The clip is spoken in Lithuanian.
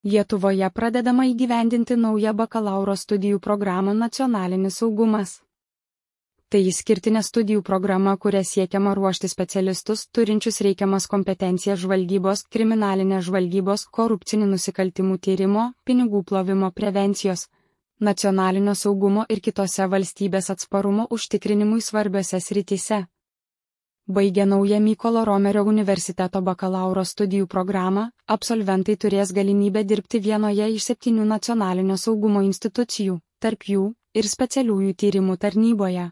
Lietuvoje pradedama įgyvendinti naują bakalauro studijų programą Nacionalinis saugumas. Tai išskirtinė studijų programa, kuria siekiama ruošti specialistus, turinčius reikiamas kompetencijas žvalgybos, kriminalinės žvalgybos, korupcinių nusikaltimų tyrimo, pinigų plovimo prevencijos, nacionalinio saugumo ir kitose valstybės atsparumo užtikrinimui svarbiose srityse. Baigę naują Mykolo Romerio universiteto bakalauro studijų programą, absolventai turės galimybę dirbti vienoje iš 7 nacionalinio saugumo institucijų, tarp jų ir specialiųjų tyrimų tarnyboje.